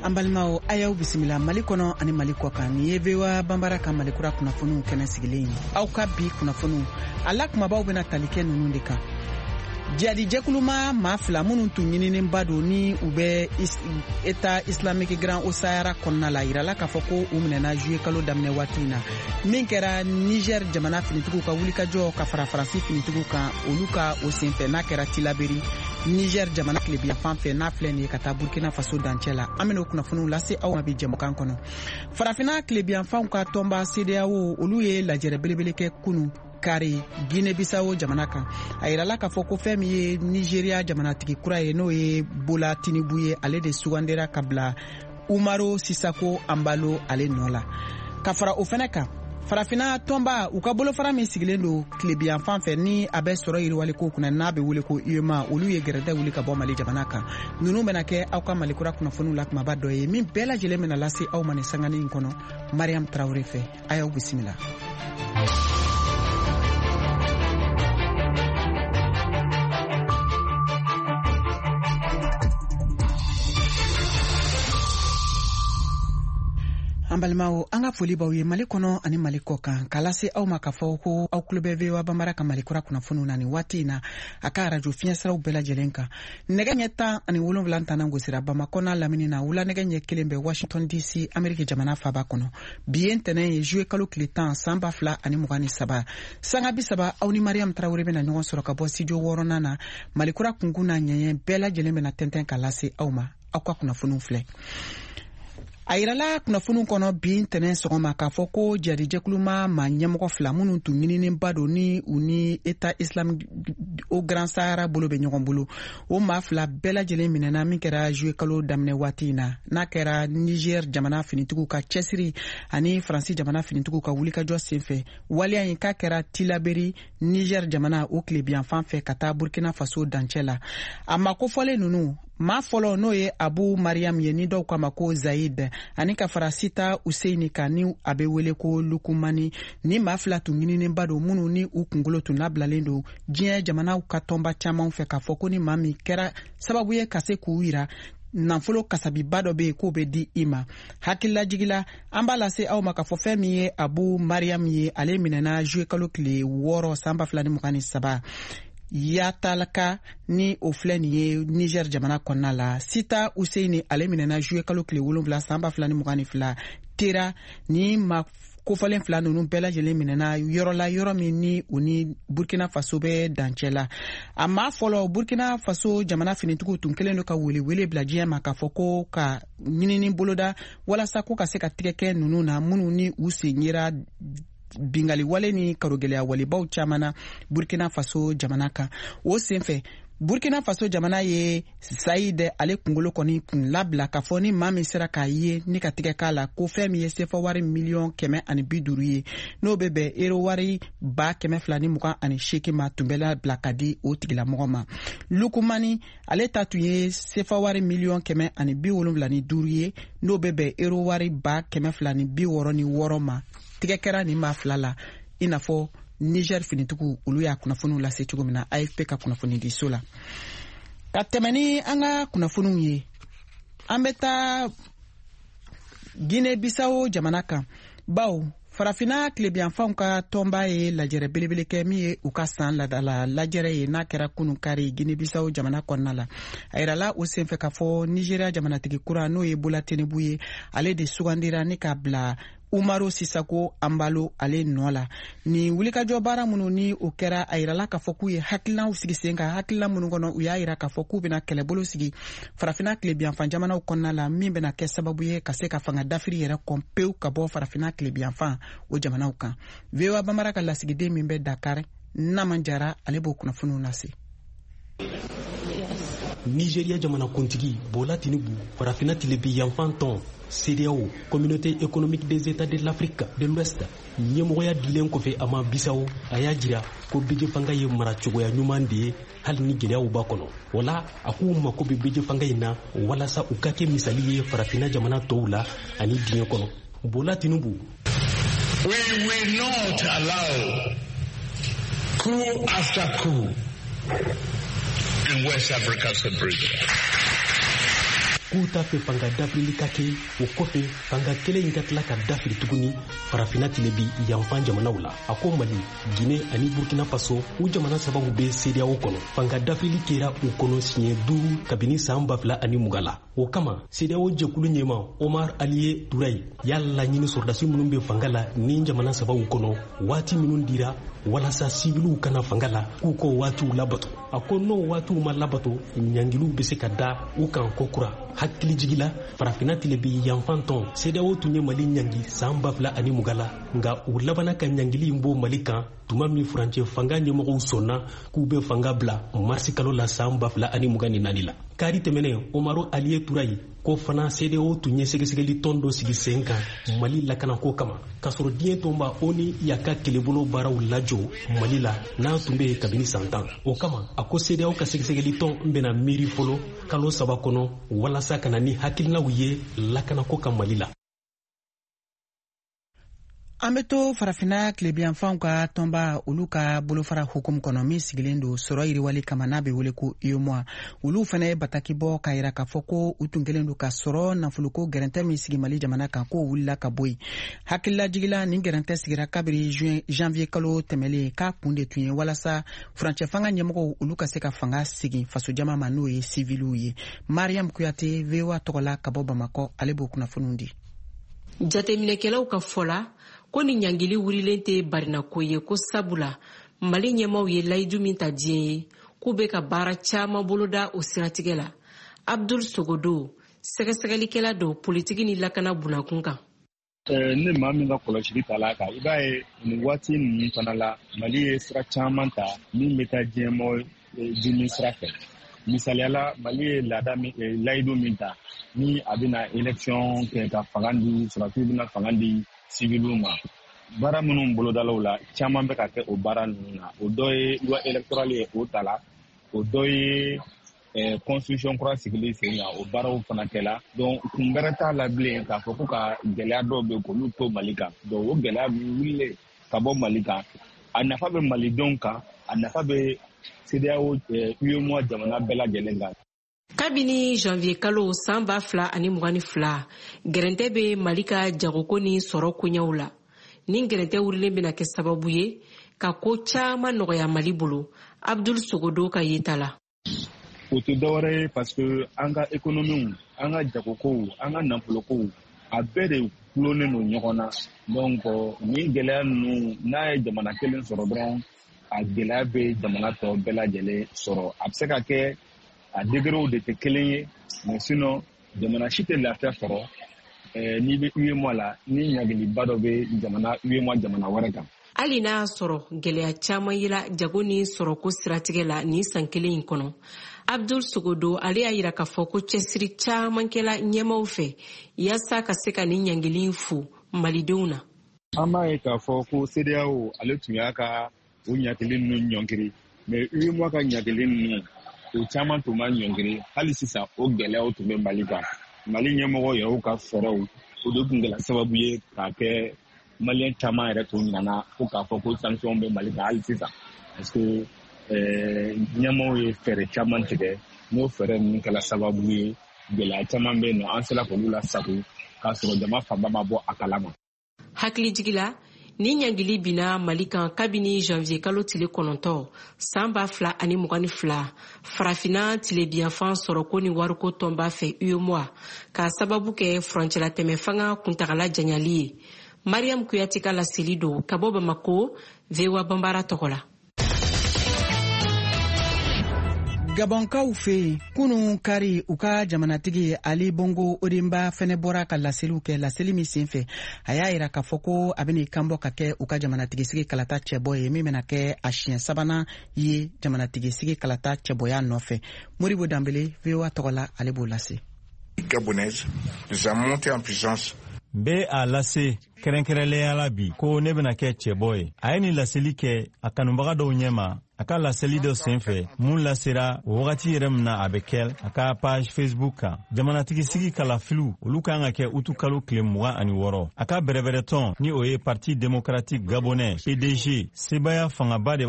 An balimaw, a y'aw bisimila Mali kɔnɔ ani Mali kɔ kan. Nin ye VOA Banbara ka Malikura kunnafoniw kɛnɛ sigilen ye. Aw ka bi kunnafoniw a la kumabaw bɛna tali kɛ ninnu de kan: jihadi jɛkuluma maa fila minnu tun ɲininenba don ni u bɛ État islamique Grand Haut Sahara kɔnɔna la, yirala k'a fɔ ko u minɛna juillet kalo daminɛ waati in na, min kɛra Niger jamana finitigiw ka wulikajɔ ka fara Faransi finitigiw kan, olu ka o senfɛ, n'a kɛra Tilaberi, Niger jamana tilebiyanfan fɛ, n'a filɛ nin ye ka taa Burkina Faso dancɛ la. An bɛna o kunnafoniw lase aw ma bi jɛmukan kɔnɔ. Farafina tilebiyanfanw ka tɔnba CEDEAO, olu ye lajɛrɛ belebele kɛ kunu kari Guinée Bissau jamana kan. A yirala k'a fɔ ko fɛn min ye Nigeria jamanatigi kura ye, n'o ye Bola Tinubu ye, ale de sugandira ka bila Umaro Sisako Embalo ale nɔ la. Ka fara o fɛnɛ kan, Farafina tɔnba u ka bolofara min sigilen don tilebiyanfan fɛ, ni a bɛ sɔrɔ yiriwali ko kunna, n'a bɛ wele ko UEMOA, olu ye gɛrɛntɛ wuli ka bɔ Mali jamana kan. Ninnu bɛna kɛ aw ka Malikura kunnafoniw la kumaba dɔ ye, min bɛɛ lajɛlen bɛna lase aw ma nin sanganin in kɔnɔ Mariam Tarawele fɛ. A y'aw bisimila. An balimaw, an ka foli b'aw ye Mali kɔnɔ ani Mali kɔ kan, k'a lase aw ma k'a fɔ ko aw tulo bɛ VOA Banbara ka Malikura kunnafoniw na nin waati in na, a ka arajo fiɲɛsiraw bɛɛ lajɛlen kan. Nɛgɛ ɲɛ 17 tannan gosira Bamakɔ n'a lamini na, wula nɛgɛ ɲɛ 1 bɛ Washington DC, Ameriki jamana faba kɔnɔ. Bi ye ntɛnɛn ye, juillet kalo tile 10, san 2023. Sanga 30, aw ni Mariam Tarawele bɛna ɲɔgɔn sɔrɔ ka bɔ studio wɔɔrɔnan na. Malikura kunkun n'a ɲɛɲɛ bɛɛ lajɛlen bɛna tɛntɛn ka lase aw ma. Aw ka kunnafoniw filɛ. A yirala kunnafoniw kɔnɔ bi ntɛnɛn sɔgɔma k'a fɔ ko jadijɛkuluma ma ɲɛmɔgɔ fila minnu tun ɲininenba don, ni u ni État islamique au Grand Sahara bolo bɛ ɲɔgɔn bolo, o maa fila bɛɛ lajɛlen minɛna, min kɛra juillet kalo daminɛ waati in na, n'a kɛra Niger jamana finitigiw ka cɛsiri ani Faransi jamana finitigiw ka wulikajɔ senfɛ. Waleya in k'a kɛra Tilaberi, Niger jamana o tilebiyanfan fɛ, ka taa Burkina Faso dancɛ la. A ma kofɔlen ninnu maa fɔlɔ, n'o ye Abu Mariam ye, ni dɔw k'a ma ko Zayid, ani ka fara Sita Useini kan, ni a bɛ wele ko Lukumani. Ni maa fila tun ɲininenba don, minnu ni u kunkolo tun labilalen don diɲɛ jamanaw ka tɔnba caman fɛ, k'a fɔ ko ni maa min kɛra sababu ye ka se k'u yira, nafolo kasabiba dɔ bɛ yen k'o bɛ di i ma. Hakililajigila, an b'a lase aw ma k'a fɔ fɛn min ye Abu Mariam ye, ale minɛna juillet kalo tile 6, san 2023, Yatalaka, ni o filɛ nin ye Niger jamana kɔnɔna la. Sita Useini, ale minɛna juillet kalo tile 7, san 2022, Tera. Ni ma kofɔlen fila ninnu bɛɛ lajɛlen minɛna yɔrɔ la, yɔrɔ min ni u ni Burkina Faso bɛ dancɛ la. A maa fɔlɔ, Burkina Faso jamana finitigiw tun kɛlen don ka welewele bila diɲɛ ma k'a fɔ ko ka ɲinini boloda walasa ko ka se ka tigɛ kɛ ninnu na, minnu ni u sen yera bingali wale ni karogɛlɛya walebaw caman na Burkina Faso jamana kan. O senfɛ, Burkina Faso jamana ye Sayid ale kunkolo kɔni kun labila k'a fɔ ni maa min sera k'a ye ni ka tigɛ k'a la, ko fɛn min ye sefa wari miliyɔn 150 ye, n'o bɛ bɛn ero wari 228,000 ma, tun bɛ labila ka di o tigilamɔgɔ ma. Lukumani, ale ta tun ye sefa wari miliyɔn 175 ye, n'o bɛ bɛn ero wari 266,000 ma. Tigɛ kɛra nin maa fila la, i n'a fɔ Niger finitigiw olu y'a kunnafoniw lase cogo min na AFP ka kunnafonidiso la. Ka tɛmɛ ni an ka kunnafoniw ye, an bɛ taa Guinée Bissau jamana kan, bawo Farafina tilebiyanfanw ka tɔnba ye lajɛrɛ belebele kɛ, min ye u ka san ladala lajɛrɛ ye, n'a kɛra kunu kari Guinée Bissau jamana kɔnɔna la. A yirala o senfɛ k'a fɔ Nigeria jamanatigi kura, n'o ye Bola Tinubu ye, ale de sugandira ni k'a bila Umaro Sisako Embalo ale nɔ la. Nin wulikajɔ baara minnu ni o kɛra, a yirala k'a fɔ k'u ye hakilinaw sigi sen kan, hakilina minnu kɔnɔ u y'a yira k'a fɔ k'u bɛna kɛlɛbolo sigi Farafina tilebiyanfan jamanaw kɔnɔna la, min bɛna kɛ sababu ye ka se ka fanga dafiri yɛrɛ kɔn pewu ka bɔ Farafina tilebiyanfan o jamanaw kan. VOA Bamara ka lasigiden min bɛ Dakar, Naman Jara, ale b'o kunnafoniw lase. Nigeria jamanakuntigi Bola Tinubu, Farafina tilebi yanfan tɔn CEDEAO, Communauté économique des États de l'Afrique de l'Ouest, ɲɛmɔgɔya dilen kɔfɛ a ma Bisawo, a y'a jira ko bɛjɛ fanga ye maracogoya ɲuman de ye, hali ni gɛlɛyaw b'a kɔnɔ. Wala a k'u mako bɛ bɛjɛ fanga in na walasa u ka kɛ misali ye Farafina jamana tɔw la ani diɲɛ kɔnɔ. Bola Tinubu. We will not allow coup after coup in West Africa sub-region. k'u t'a fɛ fanga dafirili ka kɛ, o kɔfɛ fanga kelen in ka tila ka dafiri tuguni Farafina tilebi yanfan jamanaw la. A ko Mali, Gine ani Burkina Faso, u jamana sabaw bɛ CEDEAO kɔnɔ. Fanga dafirili kɛra u kɔnɔ siɲɛ 5 kabini san 2020 la. O kama, CEDEAO jɛkulu ɲɛma Omar Aliye Turayi y'a laɲini sɔrɔdasi minnu bɛ fanga la ni jamana sabaw kɔnɔ, waati minnu dira walasa siwiliw kana fanga la, k'u k'o waatiw labato. A ko n'o waatiw ma labato, ɲangiliw bɛ se ka da u kan kokura. Hakilijigi la, Farafina tilebi yanfan tɔn CEDEAO tun ye Mali ɲangi san 2020 la, nka u labanna ka ɲangili in bɔ Mali kan tuma min furancɛ fanga ɲɛmɔgɔw sɔnna k'u bɛ fanga bila marisi kalo la san 2024 la. Kari tɛmɛnen, Umaru Aliye Turayi ko fana CEDEAO tun ye sɛgɛsɛgɛli tɔn dɔ sigi sen kan Mali lakanako kama, k'a sɔrɔ diɲɛ tɔnba ONU y'a ka kɛlɛbolo baaraw lajɔ Mali la n'a tun bɛ yen kabini san 10. O kama, a ko CEDEAO ka sɛgɛsɛgɛli tɔn bɛna miiri fɔlɔ kalo 3 kɔnɔ walasa ka na ni hakilinaw ye lakanako kan Mali la. An bɛ to Farafinna tilebiyanfanw ka tɔnba olu ka bolofara hukumu kɔnɔ min sigilen don sɔrɔ yiriwali kama, n'a bɛ wele ko UEMOA. Olu fana ye bataki bɔ k'a yira k'a fɔ ko u tun kɛlen don ka sɔrɔ nafoloko gɛrɛntɛ min sigi Mali jamana kan, k'o wulila ka bɔ yen. Hakililajigila, nin gɛrɛntɛ sigira kabiri janvier kalo tɛmɛlen, k'a kun de tun ye walasa furancɛ fanga ɲɛmɔgɔw olu ka se ka fanga segin fasojama ma, n'o ye siviliw ye. Mariam Kuyate, VOA tɔgɔ la ka bɔ Bamakɔ, ale b'o kunnafoniw di. Jateminɛkɛlaw ka fɔ la ko ni ɲangili wurilen tɛ barinako ye, ko sabula Mali ɲɛmaw ye layidu min ta diɲɛ ye k'u bɛ ka baara caman boloda o siratigɛ la. Abdul Sogodo, sɛgɛsɛgɛlikɛla don politiki ni lakana bunakun kan. Ne maa min ka kɔlɔsili ta la kan, i b'a ye nin waati ninnu fana la, Mali ye sira caman ta min bɛ taa diɲɛmɔgɔ dimi sira fɛ. Misaliyala, Mali ye laada min, layidu min ta ni a bɛna élection kɛ ka fanga di sɔrɔdasiw, bɛna fanga di civiliw ma, baara minnu bolodalaw la, caman bɛ ka kɛ o baara ninnu na. O dɔ ye loi électorale ye, o ta la. O dɔ ye constitution kura sigili sen kan, o baaraw fana kɛla. Donc kun wɛrɛ t'a la bilen k'a fɔ ko ka gɛlɛya dɔw bɛ k'olu to Mali kan. Donc o gɛlɛya ninnu wulilen ka bɔ Mali kan, a nafa bɛ malidenw kan, a nafa bɛ CEDEAO, UEMOA jamana bɛɛ lajɛlen kan. Kabini janvier kalo san 2022, gɛrɛntɛ bɛ Mali ka jagoko ni sɔrɔ koɲɛw la. Ni gɛrɛntɛ wurilen bɛna kɛ sababu ye ka ko caman nɔgɔya Mali bolo, Abdul Sogodo ka yeta la. O tɛ dɔwɛrɛ ye, parce que an ka économie, an ka jagokow, an ka nafolokow, a bɛɛ de gulonnen don ɲɔgɔn na. Donc nin gɛlɛya ninnu, n'a ye jamana kelen sɔrɔ dɔrɔn, a gɛlɛya bɛ jamana tɔ bɛɛ lajɛlen sɔrɔ. A bɛ se ka kɛ a degrés de tɛ kelen ye, mais sinon jamana si tɛ lafiya sɔrɔ n'i bɛ UEMOA la ni ɲagiliba dɔ bɛ jamana UEMOA jamana wɛrɛ kan. Hali n'a y'a sɔrɔ gɛlɛya caman yela jago ni sɔrɔko siratigɛ la nin san kelen in kɔnɔ, Abdul Sogodo ale y'a yira k'a fɔ ko cɛsiri caman kɛla ɲɛmaw fɛ yaasa ka se ka nin ɲangili fu malidenw na. An b'a ye k'a fɔ ko CEDEAO ale tun y'a ka o ɲagili ninnu ɲɔngiri, mais UEMOA ka ɲagili ninnu, o caman tun ma ɲɔngiri. Hali sisan o gɛlɛyaw tun bɛ Mali kan. Mali ɲɛmɔgɔ yɛrɛw ka fɛɛrɛw, o de tun kɛra sababu ye k'a kɛ maliyɛn caman yɛrɛ tun nana ko k'a fɔ ko sanction bɛ Mali kan hali sisan, parce que ɲɛmɔgɔw ye fɛɛrɛ caman tigɛ. N'o fɛɛrɛ ninnu kɛra sababu ye, gɛlɛya caman bɛ yen nɔ, an sera k'olu lasago k'a sɔrɔ jama fanba ma bɔ a kalama. Hakilijigi la, ni ɲangili binna Mali kan kabini janvier kalo tile 9 san 2022, Farafinna tilebiyanfan sɔrɔko ni wariko tɔnba fɛ, UEMOA, k'a sababu kɛ furancɛlatɛmɛ fanga kuntagala janyali ye. Mariam Kuyate ka laseli don ka bɔ Bamako, VOA Banbara tɔgɔ la. Gabɔnkaw fɛ yen, kunun kari, u ka jamanatigi Ali Bongo Odimba fɛnɛ bɔra ka laseliw kɛ. Laseli min sen fɛ, a y'a yira k'a fɔ ko a bɛna kan bɔ ka kɛ u ka jamanatigisigi kalata cɛbɔ ye, min bɛna kɛ a siɲɛ sabanan ye jamanatigisigi kalata cɛbɔya nɔfɛ. Moribo Danbele, VOA tɔgɔ la, ale b'o lase. Gabonaise, sa montée en puissance. N bɛ a lase kɛrɛnkɛrɛnlenya la bi ko ne bɛna kɛ cɛbɔ ye. A ye nin laseli kɛ a kanubaga dɔw ɲɛma a ka laseli dɔ sen fɛ mun lasera o wagati yɛrɛ min na a bɛ kɛ a ka page Facebook kan. Jamanatigisigi kalafiliw, olu kan ka kɛ utu kalo tile 26. A ka bɛrɛbɛrɛtɔn, ni o ye Parti démocratique gabonais, PDG, sebaya fangaba de